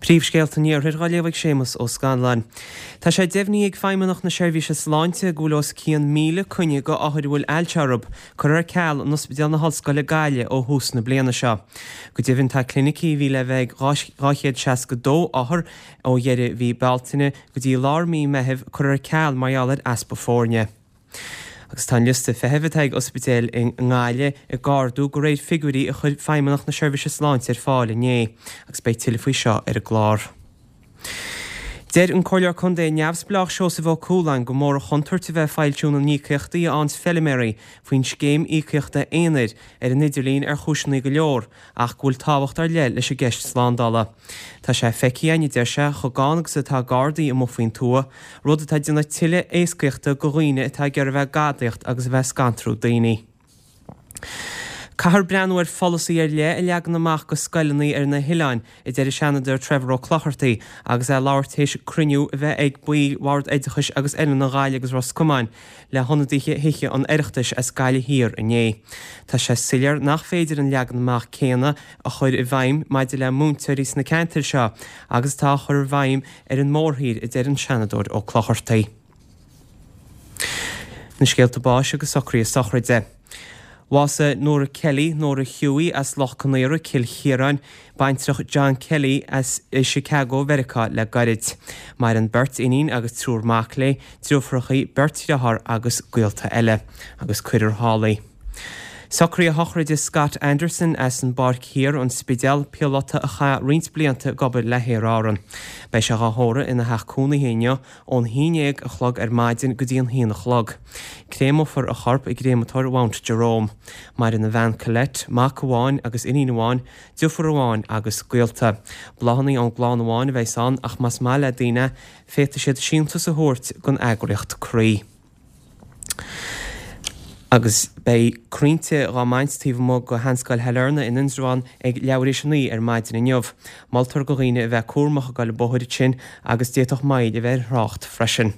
Príomhscéalta an Iarthair á léamh ag Séamus Ó Scanláin. Tá sé deimhnithe ag Feidhmeannacht na Seirbhíse Sláinte go bhfuil os cionn 1,000 coinne go othair a bhfuil ailse orthu curtha ar ceal in Ospidéal na hOllscoile Gaillimh ó thús na bliana seo. Go deimhin tá clinicí a bhí le bheith ag 262 othar ó dheireadh mhí Bealtaine go dtí lár mí Meithimh curtha ar ceal mar gheall ar easpa foirne. Agus tá an liosta feithimh atá ag ospidéil i nGaillimh ag ardú de réir figiúirí a chuir Feidhmeannacht na Seirbhíse Sláinte ar fáil inné, agus beidh tuilleadh faoi seo ar an gclár. Deir an Comhairleoir Contae neamhspleách Seosamh Ó Cualáin gur mór an chontúirt a bheith ag foilsiú na n-íocaíochtaí a fhaigheanns feiliméaraí faoin scéim íocaíochta aonair ar an idirlíon ar chúiseanna go leor ach go bhfuil tábhacht ar leith leis an gceist slándála. Tá sé feicthe againn, a deir sé, chomh gann agus atá Gardaí amuigh faoin tuath, rud atá ag déanamh tuilleadh éascaíochta go dhaoine atá ag iarraidh a bheith ag gadaíocht agus a bheith ag scantrú daoine. Caithfear breathnú ar pholasaí ar leith a leagan amach go scoileanna ar na hoileáin, a deir an Seanadóir Trevor Ó Clochartaigh agus é ag labhairt théis cruinniú a bheith ag baill Bhord Oideachais agus Oiliúna Ghaillimh agus Ros Comáin le hionadaithe Thithe an Oireachtais as Gaillimh Thiar inné. Tá sé soiléir nach féidir an leagan amach céanna a chur i bhfeidhm maidir le múinteoirí sna ceantair seo agus atá á chur i bhfeidhm ar an mórthír, a deir an Seanadóir Ó Clochartaigh. Na scéalta báis agus socruithe sochraide. Bhásaigh Nora Kelly, Nora Hughie, as Loch Conaora, Cill Chiaráin, baintreach John Kelly as i Chicago, Mheiriceá le gairid. Maireann beirt iníon agus triúr mac léi, deirfiúrachaí, beirt dhearthár agus gaolta eile. Agus cuirfear thall í. Socruithe sochraide Scott Anderson as an bPáirc Thiar, An Spidéal, píolóta a chaith roinnt blianta ag obair le hAer Árann. Beidh sé dhá thórramh ina theach cónaithe inniu ón haon dhéag a chlog ar maidin go dtí an haon a chlog. Créamófar a chorp i gcréamatóir Mount Jerome. Maireann a bhean Colette, mac amháin agus iníon amháin, deirfiúr amháin agus gaolta. Bláthanna ón gclann amháin a bheas ann ach más maith le daoine féadfaidh siad síntiús a thabhairt don eagraíocht Croí. Agus beidh crainnte dhá mbaint taobh amuigh de Sheanscoil Shailearna in Indreabhán ag leathuair théis a 9 ar maidin inniu. Moltar do dhaoine a bheith cúramach ag dul an bóthar ansin agus d'fhéadfadh moill a bheith ar thrácht freisin.